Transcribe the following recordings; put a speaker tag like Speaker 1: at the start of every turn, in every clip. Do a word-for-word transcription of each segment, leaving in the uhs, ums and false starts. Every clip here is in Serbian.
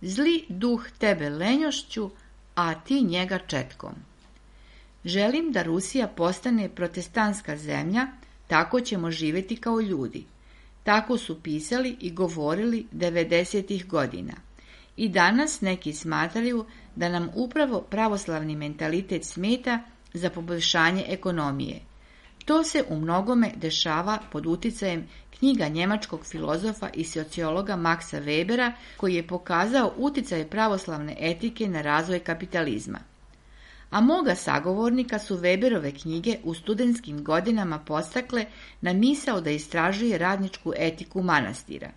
Speaker 1: zli duh tebe lenjošću, a ti njega četkom. Želim da Rusija postane protestantska zemlja, tako ćemo živjeti kao ljudi. Tako su pisali i govorili devedesetih godina. I danas neki smatraju da nam upravo pravoslavni mentalitet smeta za poboljšanje ekonomije. To se u mnogome dešava pod uticajem knjiga njemačkog filozofa i sociologa Maxa Webera, koji je pokazao uticaj pravoslavne etike na razvoj kapitalizma. A moga sagovornika su Weberove knjige u studentskim godinama postakle na misao da istražuje radničku etiku manastira.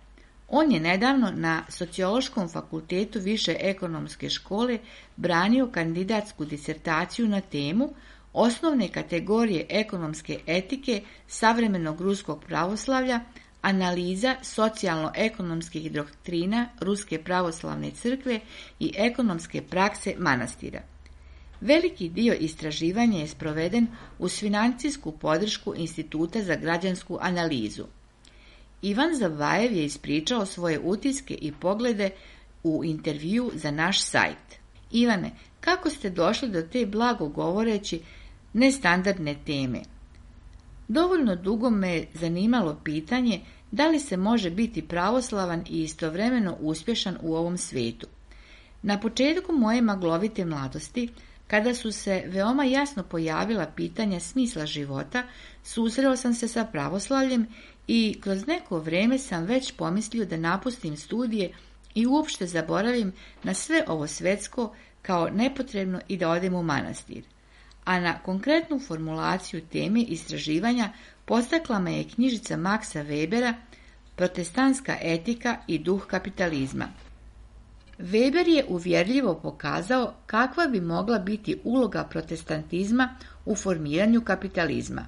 Speaker 1: On je nedavno na Sociološkom fakultetu Više ekonomske škole branio kandidatsku disertaciju na temu Osnovne kategorije ekonomske etike savremenog ruskog pravoslavlja, analiza socijalno-ekonomskih doktrina Ruske pravoslavne crkve i ekonomske prakse manastira. Veliki dio istraživanja je sproveden uz financijsku podršku Instituta za građansku analizu. Ivan Zavajev je ispričao svoje utiske i poglede u intervju za naš sajt. Ivane, kako ste došli do te blago govoreći nestandardne teme? Dovoljno dugo me je zanimalo pitanje da li se može biti pravoslavan i istovremeno uspješan u ovom svijetu. Na početku moje maglovite mladosti, kada su se veoma jasno pojavila pitanja smisla života, susreo sam se sa pravoslavljem i kroz neko vrijeme sam već pomislio da napustim studije i uopšte zaboravim na sve ovo svetsko kao nepotrebno i da odem u manastir. A na konkretnu formulaciju teme istraživanja postakla me je knjižica Maxa Webera Protestantska etika i duh kapitalizma. Weber je uvjerljivo pokazao kakva bi mogla biti uloga protestantizma u formiranju kapitalizma.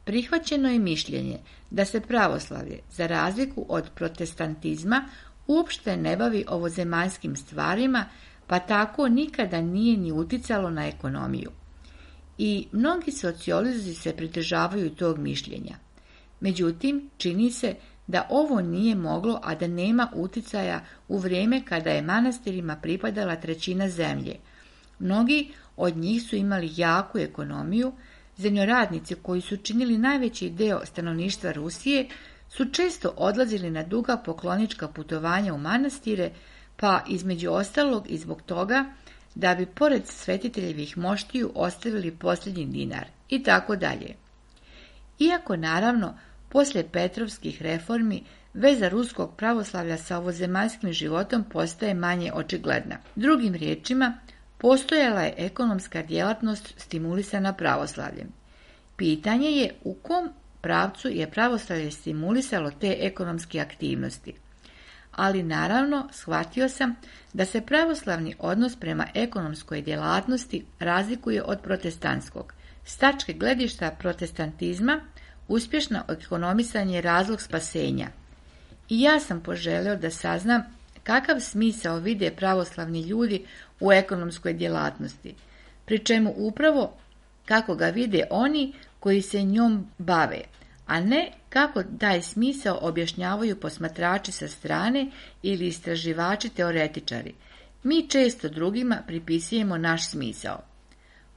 Speaker 1: Prihvaćeno je mišljenje da se pravoslavlje, za razliku od protestantizma, uopšte ne bavi ovozemaljskim stvarima, pa tako nikada nije ni uticalo na ekonomiju. I mnogi sociolozi se pridržavaju tog mišljenja. Međutim, čini se da ovo nije moglo, a da nema uticaja u vrijeme kada je manastirima pripadala trećina zemlje. Mnogi od njih su imali jaku ekonomiju, zemljoradnici koji su činili najveći deo stanovništva Rusije su često odlazili na duga poklonička putovanja u manastire, pa između ostalog i zbog toga da bi pored svetiteljevih moštiju ostavili posljednji dinar i tako dalje. Iako naravno poslije Petrovskih reformi veza ruskog pravoslavlja sa ovozemaljskim životom postaje manje očigledna. Drugim riječima, postojala je ekonomska djelatnost stimulisana pravoslavljem. Pitanje je u kom pravcu je pravoslavlje stimulisalo te ekonomske aktivnosti. Ali naravno shvatio sam da se pravoslavni odnos prema ekonomskoj djelatnosti razlikuje od protestantskog. S tačke gledišta protestantizma uspješno ekonomisanje je razlog spasenja. I ja sam poželio da saznam kakav smisao vide pravoslavni ljudi u ekonomskoj djelatnosti, pri čemu upravo kako ga vide oni koji se njom bave, a ne kako taj smisao objašnjavaju posmatrači sa strane ili istraživači teoretičari. Mi često drugima pripisujemo naš smisao.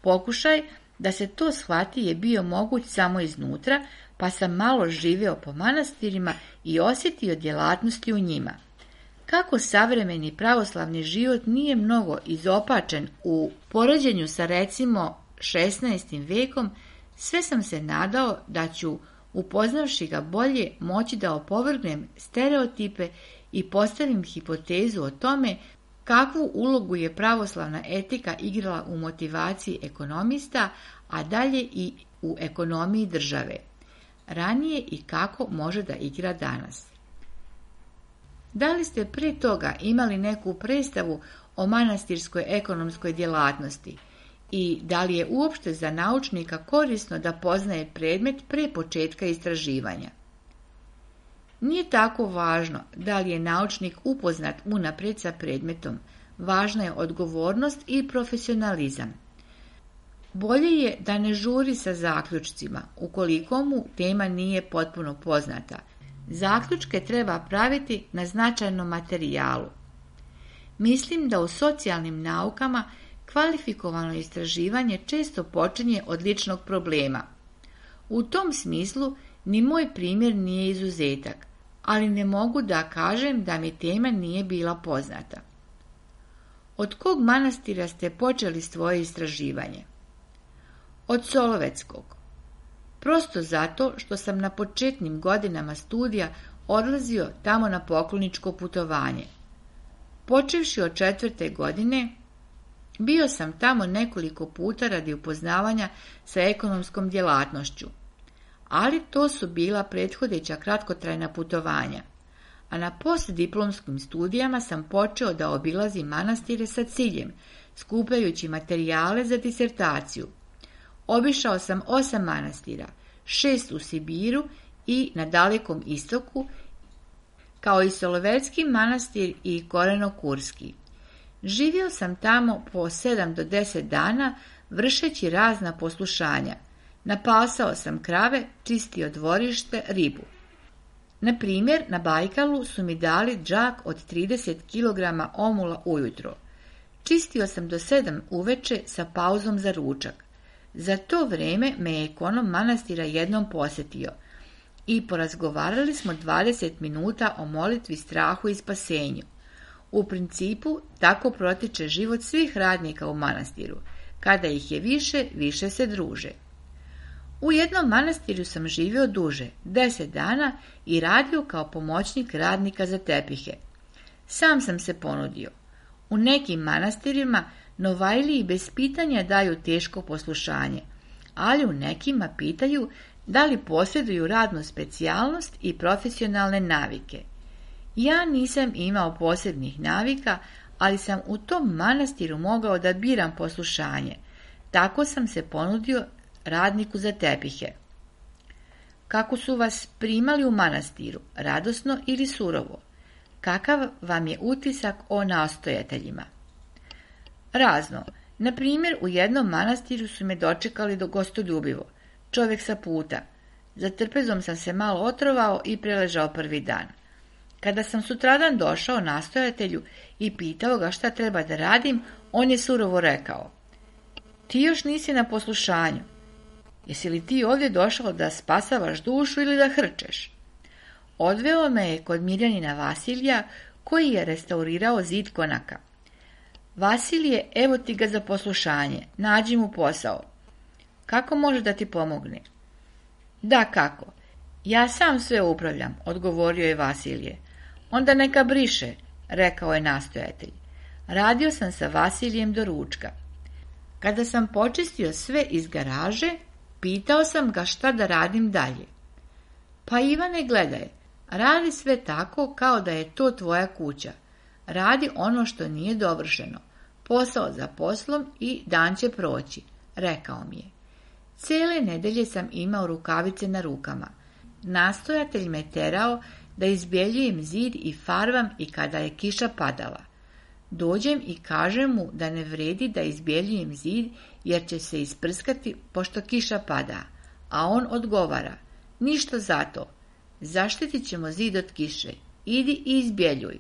Speaker 1: Pokušaj da se to shvati je bio moguć samo iznutra, pa sam malo živio po manastirima i osjetio djelatnosti u njima. Kako savremeni pravoslavni život nije mnogo izopačen u poređenju sa recimo šesnaestim vekom, sve sam se nadao da ću, upoznavši ga bolje, moći da opovrgnem stereotipe i postavim hipotezu o tome kakvu ulogu je pravoslavna etika igrala u motivaciji ekonomista, a dalje i u ekonomiji države. Ranije i kako može da igra danas. Da li ste prije toga imali neku predstavu o manastirskoj ekonomskoj djelatnosti i da li je uopšte za naučnika korisno da poznaje predmet prije početka istraživanja? Nije tako važno da li je naučnik upoznat unaprijed sa predmetom, važna je odgovornost i profesionalizam. Bolje je da ne žuri sa zaključcima, ukoliko mu tema nije potpuno poznata. Zaključke treba praviti na značajnom materijalu. Mislim da u socijalnim naukama kvalifikovano istraživanje često počinje od ličnog problema. U tom smislu ni moj primjer nije izuzetak, ali ne mogu da kažem da mi tema nije bila poznata. Od kog manastira ste počeli svoje istraživanje? Od Solovetskog. Prosto zato što sam na početnim godinama studija odlazio tamo na pokloničko putovanje. Počevši od četvrte godine, bio sam tamo nekoliko puta radi upoznavanja sa ekonomskom djelatnošću, ali to su bila prethodeća kratkotrajna putovanja, a na postdiplomskim studijama sam počeo da obilazim manastire sa ciljem, skupljajući materijale za disertaciju. Obišao sam osam manastira, šest u Sibiru i na Dalekom istoku, kao i Solovetski manastir i Koreno-Kurski. Živio sam tamo po sedam do deset dana, vršeći razna poslušanja. Napasao sam krave, čistio dvorište, ribu. Na primjer, na Bajkalu su mi dali džak od trideset kilograma omula ujutro. Čistio sam do sedam uveče sa pauzom za ručak. Za to vrijeme me je ekonom manastira jednom posjetio i porazgovarali smo dvadeset minuta o molitvi, strahu i spasenju. U principu, tako protiče život svih radnika u manastiru. Kada ih je više, više se druže. U jednom manastiru sam živio duže, deset dana, i radio kao pomoćnik radnika za tepihe. Sam sam se ponudio. U nekim manastirima novajliji bez pitanja daju teško poslušanje, ali u nekima pitaju da li posjeduju radnu specijalnost i profesionalne navike. Ja nisam imao posebnih navika, ali sam u tom manastiru mogao da biram poslušanje. Tako sam se ponudio radniku za tepihe. Kako su vas primali u manastiru, radosno ili surovo? Kakav vam je utisak o nastojateljima? Razno. Na primjer, u jednom manastiru su me dočekali do gostoljubivo, čovjek sa puta. Za trpezom sam se malo otrovao i preležao prvi dan. Kada sam sutradan došao nastojatelju i pitao ga šta treba da radim, on je surovo rekao: ti još nisi na poslušanju. Jesi li ti ovdje došao da spasavaš dušu ili da hrčeš? Odveo me je kod Mirjanina Vasilija, koji je restaurirao zid konaka. Vasilije, evo ti ga za poslušanje, nađi mu posao. Kako može da ti pomogne? Da, kako? Ja sam sve upravljam, odgovorio je Vasilije. Onda neka briše, rekao je nastojatelj. Radio sam sa Vasilijem do ručka. Kada sam počistio sve iz garaže, pitao sam ga šta da radim dalje. Pa Ivane, gledaj, radi sve tako kao da je to tvoja kuća. Radi ono što nije dovršeno. Posao za poslom i dan će proći, rekao mi je. Cijele nedelje sam imao rukavice na rukama. Nastojatelj me terao da izbjeljujem zid i farvam i kada je kiša padala. Dođem i kažem mu da ne vredi da izbjeljujem zid jer će se isprskati pošto kiša pada, a on odgovara: ništa zato, zaštitit ćemo zid od kiše, idi i izbjeljuj.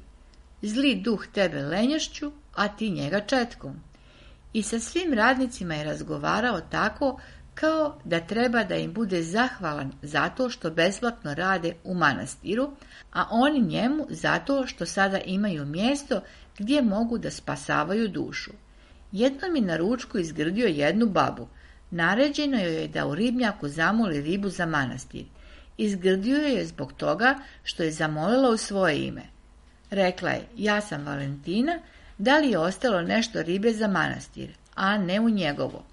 Speaker 1: Zli duh tebe lenjošću, a ti njega četkom. I sa svim radnicima je razgovarao tako kao da treba da im bude zahvalan zato što besplatno rade u manastiru, a oni njemu zato što sada imaju mjesto gdje mogu da spasavaju dušu. Jednom je na ručku izgrdio jednu babu. Naređeno joj je da u ribnjaku zamoli ribu za manastir. Izgrdio je zbog toga što je zamolila u svoje ime. Rekla je: ja sam Valentina, da li je ostalo nešto ribe za manastir, a ne u njegovo.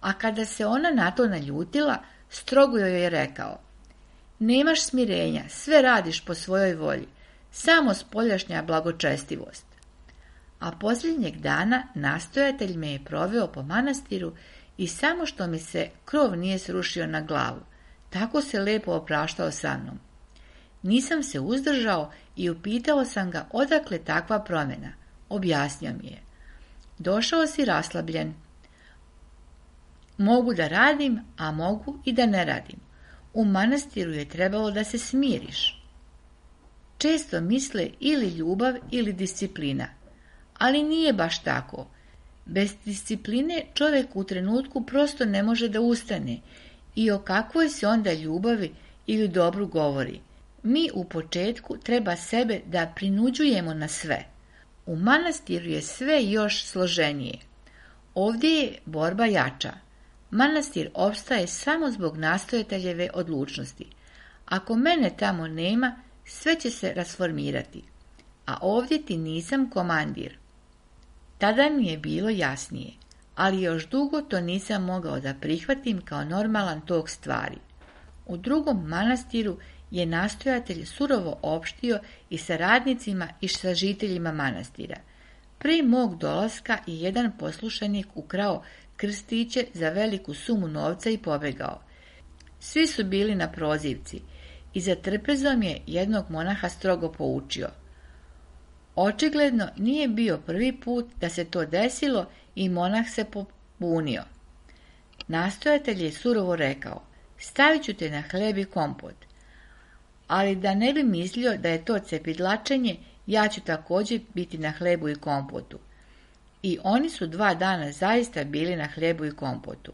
Speaker 1: A kada se ona na to naljutila, strogo joj je rekao: nemaš smirenja, sve radiš po svojoj volji, samo spoljašnja blagočestivost. A posljednjeg dana nastojatelj me je proveo po manastiru i samo što mi se krov nije srušio na glavu, tako se lepo opraštao sa mnom. Nisam se uzdržao i upitao sam ga odakle takva promjena. Objasnio mi je: došao si raslabljen. Mogu da radim, a mogu i da ne radim. U manastiru je trebalo da se smiriš. Često misle ili ljubav ili disciplina. Ali nije baš tako. Bez discipline čovjek u trenutku prosto ne može da ustane i o kakvoj se onda ljubavi ili dobru govori. Mi u početku treba sebe da prinuđujemo na sve. U manastiru je sve još složenije. Ovdje je borba jača. Manastir opstaje samo zbog nastojateljeve odlučnosti. Ako mene tamo nema, sve će se rasformirati. A ovdje ti nisam komandir. Tada mi je bilo jasnije, ali još dugo to nisam mogao da prihvatim kao normalan tok stvari. U drugom manastiru je nastojatelj surovo opštio i sa radnicima i sa žiteljima manastira. Prije mog dolaska je jedan poslušanik ukrao krstiće za veliku sumu novca i pobegao. Svi su bili na prozivci i za trpezom je jednog monaha strogo poučio. Očigledno nije bio prvi put da se to desilo i monah se pobunio. Nastojatelj je surovo rekao, stavit ću te na hleb i kompot. Ali da ne bi mislio da je to cepidlačenje, ja ću također biti na hlebu i kompotu. I oni su dva dana zaista bili na hlebu i kompotu.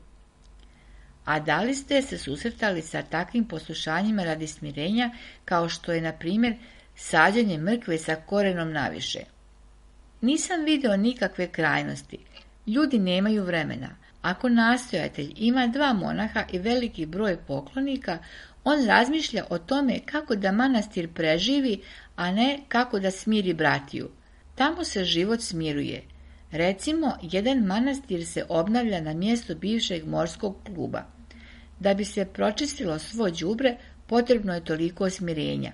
Speaker 1: A da li ste se susretali sa takvim poslušanjima radi smirenja, kao što je, na primjer, sađenje mrkve sa korenom naviše? Nisam video nikakve krajnosti. Ljudi nemaju vremena. Ako nastojatelj ima dva monaha i veliki broj poklonika, on razmišlja o tome kako da manastir preživi, a ne kako da smiri bratiju. Tamo se život smiruje. Recimo, jedan manastir se obnavlja na mjestu bivšeg morskog kluba. Da bi se pročistilo svo đubre, potrebno je toliko smirenja.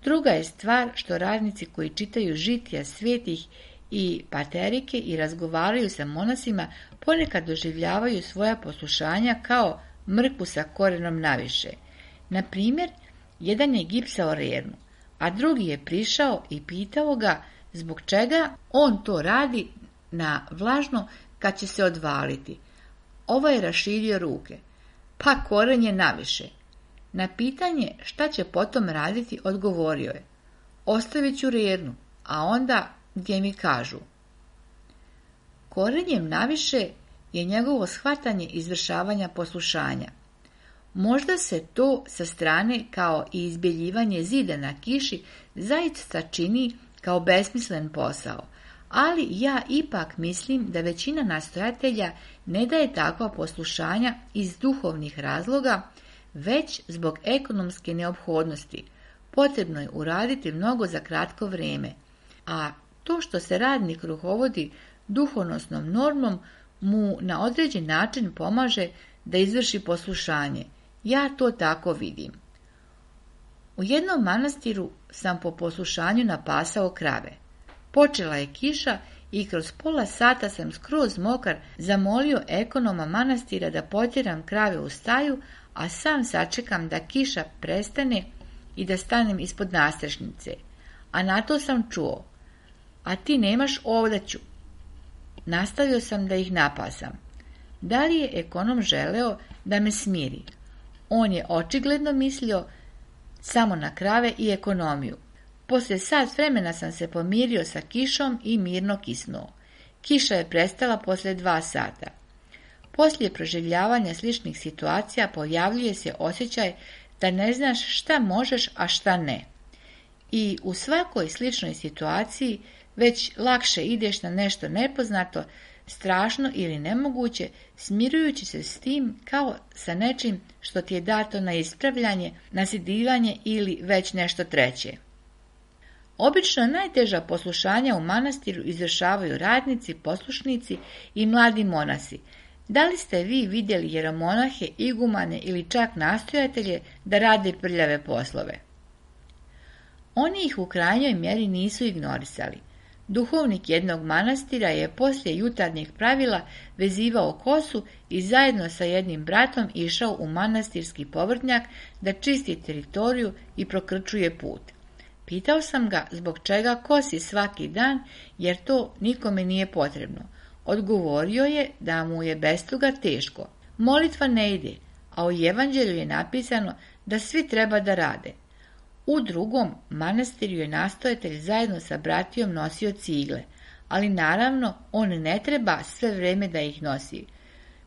Speaker 1: Druga je stvar što radnici koji čitaju žitija svetih i paterike i razgovaraju sa monasima ponekad doživljavaju svoja poslušanja kao mrkvu sa korenom naviše. Na primjer, jedan je gipsao rernu, a drugi je prišao i pitao ga zbog čega on to radi na vlažno kad će se odvaliti. Ovo je raširio ruke. Pa koren je naviše. Na pitanje šta će potom raditi odgovorio je. Ostavit ću rernu, a onda gdje mi kažu. Korenjem naviše je njegovo shvatanje izvršavanja poslušanja. Možda se to sa strane kao i izbjeljivanje zida na kiši zaista čini kao besmislen posao, ali ja ipak mislim da većina nastojatelja ne daje takva poslušanja iz duhovnih razloga, već zbog ekonomske neophodnosti. Potrebno je uraditi mnogo za kratko vrijeme, a to što se radnik rukovodi duhovnosnom normom mu na određen način pomaže da izvrši poslušanje. Ja to tako vidim. U jednom manastiru sam po poslušanju napasao krave. Počela je kiša i kroz pola sata sam skroz mokar zamolio ekonoma manastira da potjeram krave u staju, a sam sačekam da kiša prestane i da stanem ispod nastrešnice. A na to sam čuo, a ti nemaš ovdaću. Nastavio sam da ih napasam. Da li je ekonom želeo da me smiri? On je očigledno mislio samo na krave i ekonomiju. Poslije sat vremena sam se pomirio sa kišom i mirno kisnuo. Kiša je prestala poslije dva sata. Poslije proživljavanja sličnih situacija pojavljuje se osjećaj da ne znaš šta možeš, a šta ne. I u svakoj sličnoj situaciji već lakše ideš na nešto nepoznato, strašno ili nemoguće, smirujući se s tim kao sa nečim što ti je dato na ispravljanje, nasidivanje ili već nešto treće. Obično najteža poslušanja u manastiru izvršavaju radnici, poslušnici i mladi monasi. Da li ste vi vidjeli jeromonahe, igumane ili čak nastojatelje da rade prljave poslove? Oni ih u krajnjoj mjeri nisu ignorisali. Duhovnik jednog manastira je poslije jutarnjeg pravila vezivao kosu i zajedno sa jednim bratom išao u manastirski povrtnjak da čisti teritoriju i prokrčuje put. Pitao sam ga zbog čega kosi svaki dan, jer to nikome nije potrebno. Odgovorio je da mu je bez toga teško. Molitva ne ide, a u evanđelju je napisano da svi treba da rade. U drugom manastiru je nastojatelj zajedno sa bratijom nosio cigle, ali naravno on ne treba sve vrijeme da ih nosi.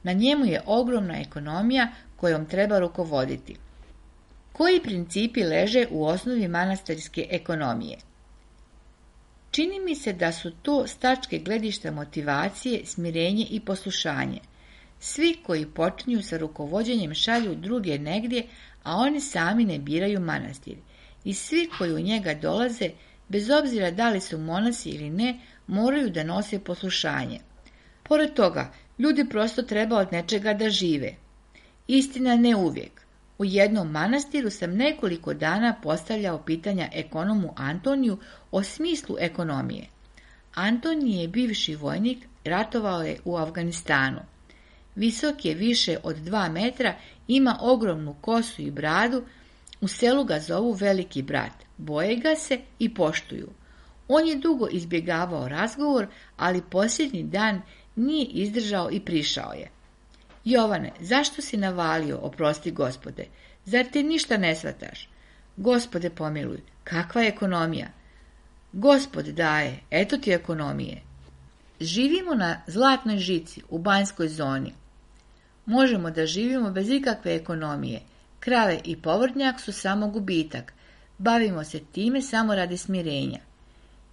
Speaker 1: Na njemu je ogromna ekonomija kojom treba rukovoditi. Koji principi leže u osnovi manastirske ekonomije? Čini mi se da su to s tačke gledišta motivacije, smirenje i poslušanje. Svi koji počinju sa rukovođenjem šalju druge negdje, a oni sami ne biraju manastir. I svi koji u njega dolaze, bez obzira da li su monasi ili ne, moraju da nose poslušanje. Pored toga, ljudi prosto treba od nečega da žive. Istina, ne uvijek. U jednom manastiru sam nekoliko dana postavljao pitanja ekonomu Antoniju o smislu ekonomije. Antonij je bivši vojnik, ratovao je u Afganistanu. Visok je više od dva metra, ima ogromnu kosu i bradu, u selu ga zovu Veliki brat, boje ga se i poštuju. On je dugo izbjegavao razgovor, ali posljednji dan nije izdržao i prišao je. Jovane, zašto si navalio, oprosti Gospode? Zar ti ništa ne shvataš? Gospode pomiluj, kakva je ekonomija? Gospod daje, eto ti ekonomije. Živimo na zlatnoj žici u Banjskoj zoni. Možemo da živimo bez ikakve ekonomije. Krave i povrtnjak su samo gubitak. Bavimo se time samo radi smirenja.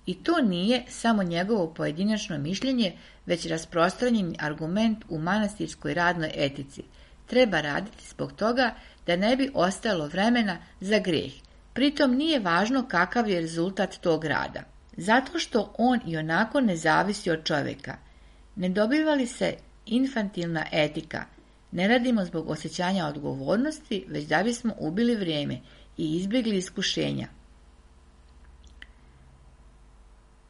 Speaker 1: I to nije samo njegovo pojedinačno mišljenje, već rasprostranjeni argument u manastirskoj radnoj etici. Treba raditi zbog toga da ne bi ostalo vremena za grijeh. Pritom nije važno kakav je rezultat tog rada. Zato što on i onako ne zavisi od čovjeka. Ne dobiva li se infantilna etika? Ne radimo zbog osjećanja odgovornosti, već da bismo ubili vrijeme i izbjegli iskušenja.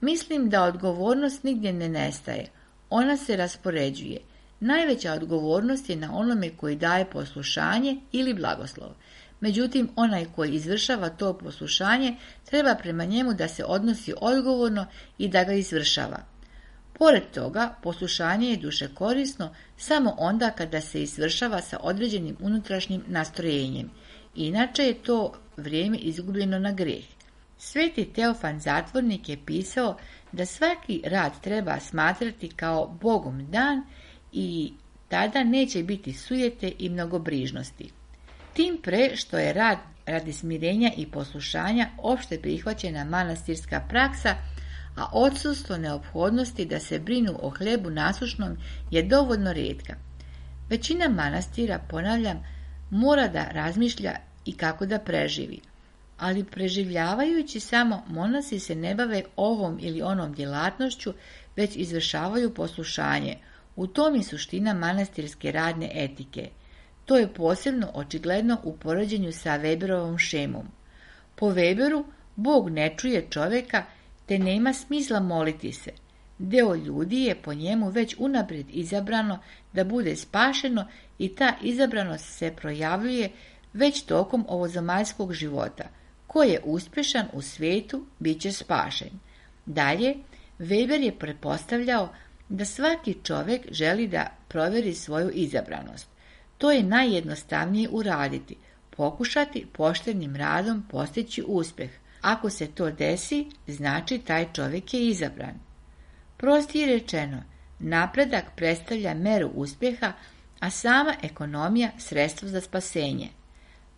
Speaker 1: Mislim da odgovornost nigdje ne nestaje. Ona se raspoređuje. Najveća odgovornost je na onome koji daje poslušanje ili blagoslov. Međutim, onaj koji izvršava to poslušanje treba prema njemu da se odnosi odgovorno i da ga izvršava. Pored toga, poslušanje je duše korisno samo onda kada se izvršava sa određenim unutrašnjim nastrojenjem. Inače je to vrijeme izgubljeno na grijeh. Sveti Teofan Zatvornik je pisao da svaki rad treba smatrati kao Bogom dan i tada neće biti sujete i mnogobrižnosti. Tim pre što je rad radi smirenja i poslušanja opšte prihvaćena manastirska praksa, a odsustvo neophodnosti da se brinu o hlebu nasušnom je dovoljno rijetka. Većina manastira, ponavljam, mora da razmišlja i kako da preživi. Ali preživljavajući samo, monasi se ne bave ovom ili onom djelatnošću, već izvršavaju poslušanje. U tom je suština manastirske radne etike. To je posebno očigledno u poređenju sa Weberovom šemom. Po Weberu, Bog ne čuje čovjeka, te nema smisla moliti se. Deo ljudi je po njemu već unaprijed izabrano da bude spašeno i ta izabranost se projavljuje već tokom ovozemaljskog života. Ko je uspješan u svijetu, bit će spašen. Dalje, Weber je pretpostavljao da svaki čovjek želi da provjeri svoju izabranost. To je najjednostavnije uraditi, pokušati poštenim radom postići uspjeh. Ako se to desi, znači taj čovjek je izabran. Prostije rečeno, napredak predstavlja meru uspjeha, a sama ekonomija sredstvo za spasenje.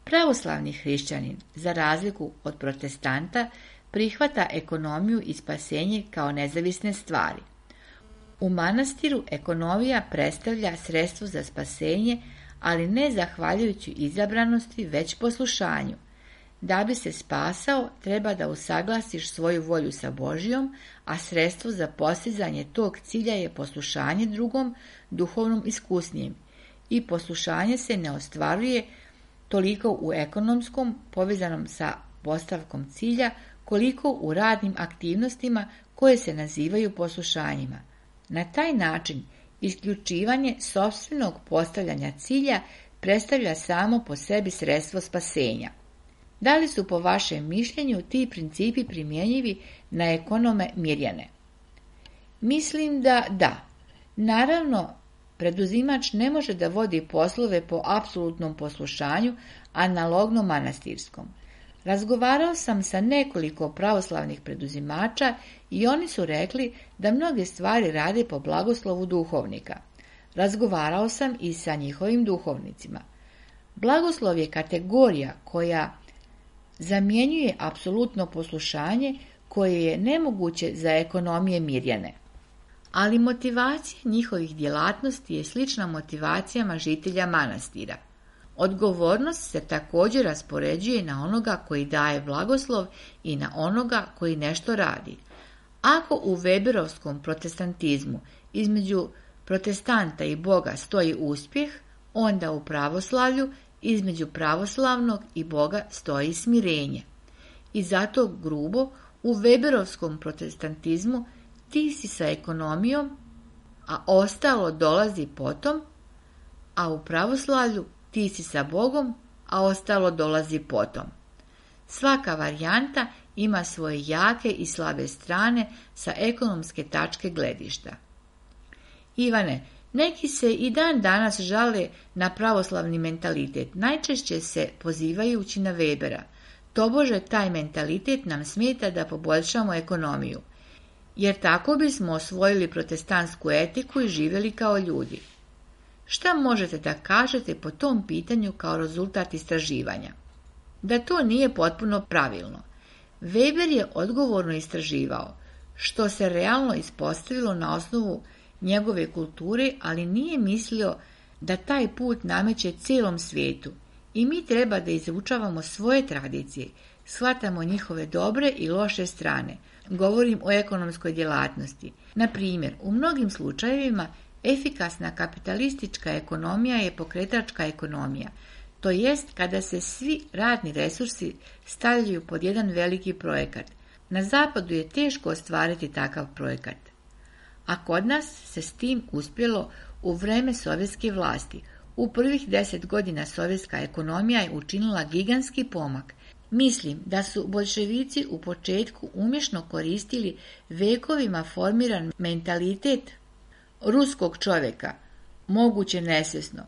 Speaker 1: Pravoslavni hrišćanin, za razliku od protestanta, prihvata ekonomiju i spasenje kao nezavisne stvari. U manastiru ekonomija predstavlja sredstvo za spasenje, ali ne zahvaljujući izabranosti, već poslušanju. Da bi se spasao, treba da usaglasiš svoju volju sa Božjom, a sredstvo za postizanje tog cilja je poslušanje drugom, duhovnom iskusnijem. I poslušanje se ne ostvaruje toliko u ekonomskom, povezanom sa postavkom cilja, koliko u radnim aktivnostima koje se nazivaju poslušanjima. Na taj način, isključivanje sopstvenog postavljanja cilja predstavlja samo po sebi sredstvo spasenja. Da li su po vašem mišljenju ti principi primjenjivi na ekonome Mirjane? Mislim da da. Naravno, preduzimač ne može da vodi poslove po apsolutnom poslušanju, analogno manastirskom. Razgovarao sam sa nekoliko pravoslavnih preduzimača i oni su rekli da mnoge stvari rade po blagoslovu duhovnika. Razgovarao sam i sa njihovim duhovnicima. Blagoslov je kategorija koja zamjenjuje apsolutno poslušanje koje je nemoguće za ekonomije Mirjane. Ali motivacija njihovih djelatnosti je slična motivacijama žitelja manastira. Odgovornost se također raspoređuje na onoga koji daje blagoslov i na onoga koji nešto radi. Ako u Weberovskom protestantizmu između protestanta i Boga stoji uspjeh, onda u pravoslavlju između pravoslavnog i Boga stoji smirenje. I zato grubo u Weberovskom protestantizmu ti si sa ekonomijom, a ostalo dolazi potom, a u pravoslavlju ti si sa Bogom, a ostalo dolazi potom. Svaka varijanta ima svoje jake i slabe strane sa ekonomske tačke gledišta. Ivane, neki se i dan danas žale na pravoslavni mentalitet, najčešće se pozivajući na Webera. Tobože taj mentalitet nam smeta da poboljšamo ekonomiju, jer tako bismo osvojili protestantsku etiku i živjeli kao ljudi. Šta možete da kažete po tom pitanju kao rezultat istraživanja? Da to nije potpuno pravilno. Weber je odgovorno istraživao, što se realno ispostavilo na osnovu njegove kulture, ali nije mislio da taj put nameće cijelom svijetu i mi treba da izučavamo svoje tradicije, shvatamo njihove dobre i loše strane. Govorim o ekonomskoj djelatnosti. Na primjer, u mnogim slučajevima efikasna kapitalistička ekonomija je pokretačka ekonomija, to jest kada se svi radni resursi stavljaju pod jedan veliki projekat. Na zapadu je teško ostvariti takav projekat, a kod nas se s tim uspjelo u vrijeme sovjetske vlasti. U prvih deset godina sovjetska ekonomija je učinila gigantski pomak. Mislim da su boljševici u početku umješno koristili vekovima formiran mentalitet ruskog čovjeka, moguće nesvjesno.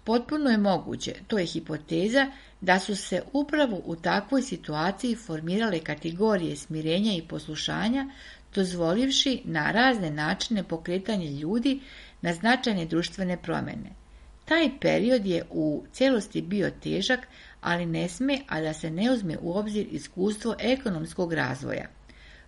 Speaker 1: Potpuno je moguće, to je hipoteza, da su se upravo u takvoj situaciji formirale kategorije smirenja i poslušanja, dozvolivši na razne načine pokretanje ljudi na značajne društvene promjene. Taj period je u cijelosti bio težak, ali ne sme, a da se ne uzme u obzir iskustvo ekonomskog razvoja.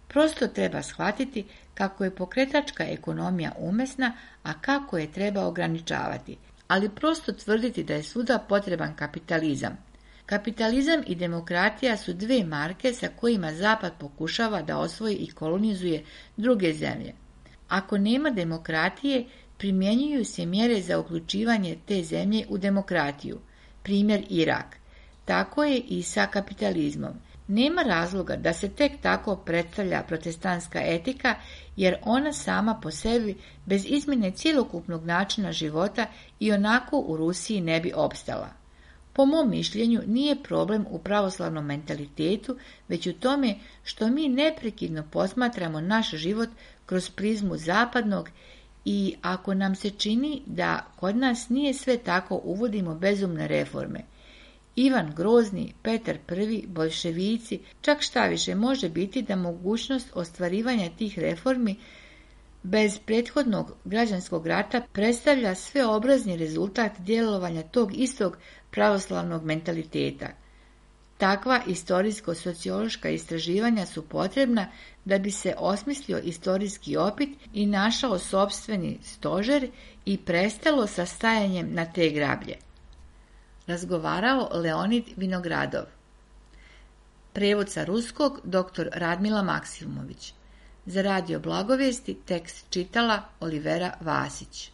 Speaker 1: Prosto treba shvatiti kako je pokretačka ekonomija umesna, a kako je treba ograničavati, ali prosto tvrditi da je svuda potreban kapitalizam. Kapitalizam i demokratija su dve marke sa kojima Zapad pokušava da osvoji i kolonizuje druge zemlje. Ako nema demokratije, primjenjuju se mjere za uključivanje te zemlje u demokratiju. Primjer Irak. Tako je i sa kapitalizmom. Nema razloga da se tek tako predstavlja protestantska etika, jer ona sama po sebi, bez izmjene cjelokupnog načina života, i onako u Rusiji ne bi opstala. Po mom mišljenju nije problem u pravoslavnom mentalitetu, već u tome što mi neprekidno posmatramo naš život kroz prizmu zapadnog i ako nam se čini da kod nas nije sve tako, uvodimo bezumne reforme. Ivan Grozni, Petar Prvi, boljševici, čak šta više može biti da mogućnost ostvarivanja tih reformi bez prethodnog građanskog rata predstavlja sveobrazni rezultat djelovanja tog istog pravoslavnog mentaliteta. Takva istorijsko-sociološka istraživanja su potrebna da bi se osmislio istorijski opit i našao sopstveni stožer i prestalo sa stajanjem na te grablje. Razgovarao Leonid Vinogradov. Prevod sa ruskog dr. Radmila Maksimović. Za Radio Blagovijesti tekst čitala Olivera Vasić.